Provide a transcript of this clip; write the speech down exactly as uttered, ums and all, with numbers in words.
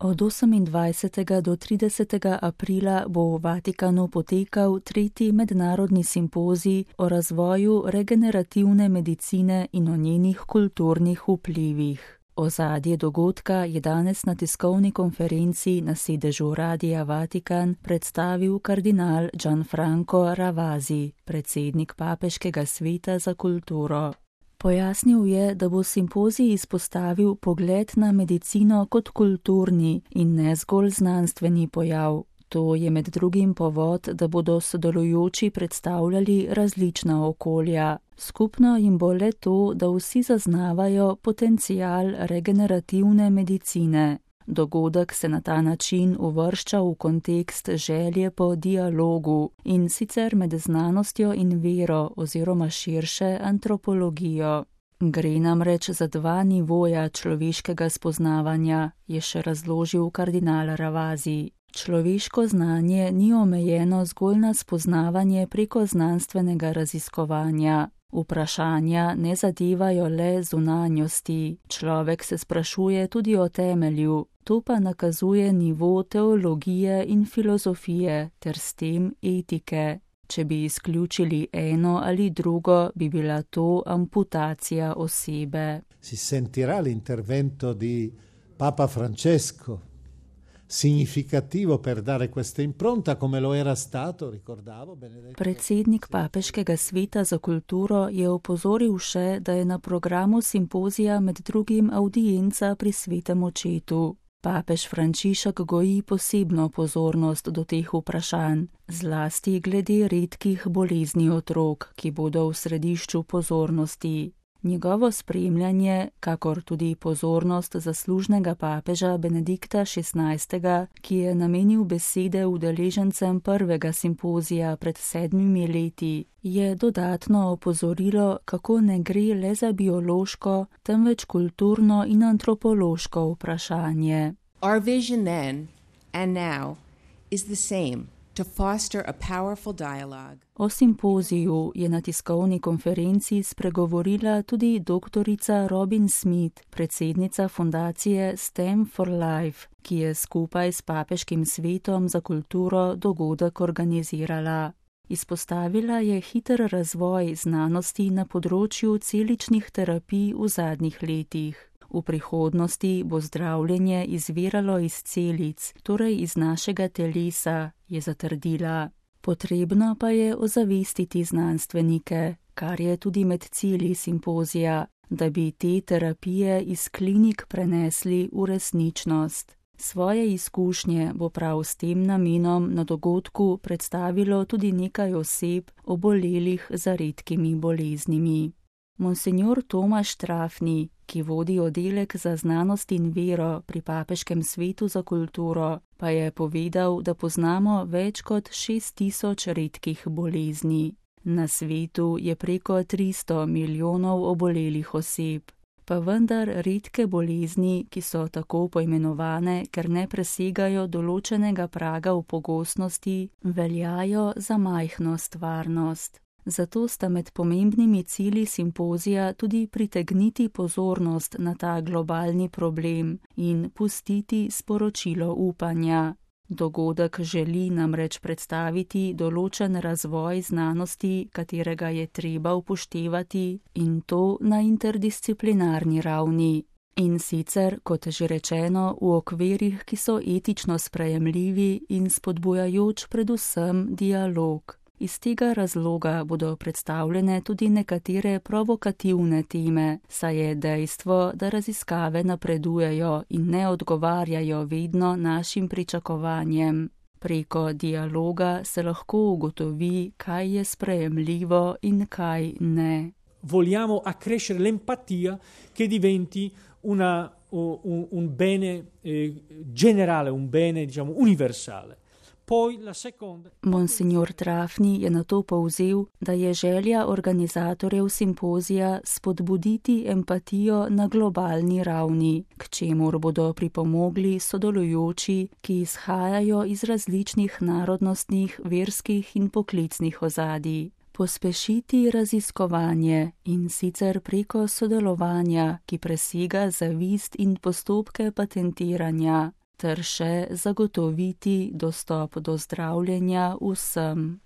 Od osemindvajsetega do tridesetega aprila bo v Vatikanu potekal tretji mednarodni simpozij o razvoju regenerativne medicine in o njenih kulturnih vplivih. Ozadje dogodka je danes na tiskovni konferenci na sedežu Radia Vatikan predstavil kardinal Gianfranco Ravasi, predsednik Papeškega sveta za kulturo. Pojasnil je, da bo simpozij izpostavil pogled na medicino kot kulturni in ne zgolj znanstveni pojav. To je med drugim povod, da bodo sodelujoči predstavljali različna okolja. Skupno jim bo le to, da vsi zaznavajo potencial regenerativne medicine. Dogodek se na ta način uvršča v kontekst želje po dialogu, in sicer med znanostjo in vero oziroma širše antropologijo. Gre namreč za dva nivoja človeškega spoznavanja, je še razložil kardinal Ravasi. Človeško znanje ni omejeno zgolj na spoznavanje preko znanstvenega raziskovanja. Vprašanja ne zadevajo le zunanjosti. Človek se sprašuje tudi o temelju. To pa nakazuje nivo teologije in filozofije ter s tem etike. Če bi izključili eno ali drugo, bi bila to amputacija osebe. Si sentirà l'intervento di Papa Francesco significativo per dare questa impronta come lo era stato, ricordavo, Benedetto. Predsednik Papeškega sveta za kulturo je opozoril še, da je na programu simpozija med drugim audienca pri svetem očetu. Papež Frančišek goji posebno pozornost do teh vprašanj, zlasti glede redkih bolezni otrok, ki bodo v središču pozornosti. Njegovo spremljanje, kakor tudi pozornost zaslužnega papeža Benedikta šestnajstega, ki je namenil besede udeležencem prvega simpozija pred sedmimi leti, je dodatno opozorilo, kako ne gre le za biološko, temveč kulturno in antropološko vprašanje. Our vision then and now is the same. To foster a powerful dialogue. O simpoziju je na tiskovni konferenci spregovorila tudi doktorica Robin Smith, predsednica fundacije Stem for Life, ki je skupaj s Papeškim svetom za kulturo dogodek organizirala. Izpostavila je hiter razvoj znanosti na področju celičnih terapij v zadnjih letih. V prihodnosti bo zdravljenje izviralo iz celic, torej iz našega telesa, je zatrdila. Potrebno pa je ozavestiti znanstvenike, kar je tudi med cilji simpozija, da bi te terapije iz klinik prenesli v resničnost. Svoje izkušnje bo prav s tem namenom na dogodku predstavilo tudi nekaj oseb, obolelih za redkimi boleznimi. Monsignor Tomaž Trafni, ki vodi oddelek za znanost in vero pri Papeškem svetu za kulturo, pa je povedal, da poznamo več kot šest tisoč redkih bolezni. Na svetu je preko tristo milijonov obolelih oseb. Pa vendar redke bolezni, ki so tako poimenovane, ker ne presegajo določenega praga v pogostnosti, veljajo za majhno stvarnost. Zato sta med pomembnimi cilji simpozija tudi pritegniti pozornost na ta globalni problem in pustiti sporočilo upanja. Dogodek želi namreč predstaviti določen razvoj znanosti, katerega je treba upoštevati, in to na interdisciplinarni ravni. In sicer, kot že rečeno, v okvirih, ki so etično sprejemljivi in spodbujajoč predvsem dialog. Iz tega razloga bodo predstavljene tudi nekatere provokativne teme, saj je dejstvo, da raziskave napredujejo in ne odgovarjajo vedno našim pričakovanjem. Preko dialoga se lahko ugotovi, kaj je sprejemljivo in kaj ne. Vogliamo accrescere l'empatia che diventi una, un, un bene eh, generale, un bene diciamo universale. Monsignor Trafni je nato povzel, da je želja organizatorjev simpozija spodbuditi empatijo na globalni ravni, k čemur bodo pripomogli sodelujoči, ki izhajajo iz različnih narodnostnih, verskih in poklicnih ozadij. Pospešiti raziskovanje in sicer preko sodelovanja, ki presega zavist in postopke patentiranja, ter še zagotoviti dostop do zdravljenja vsem.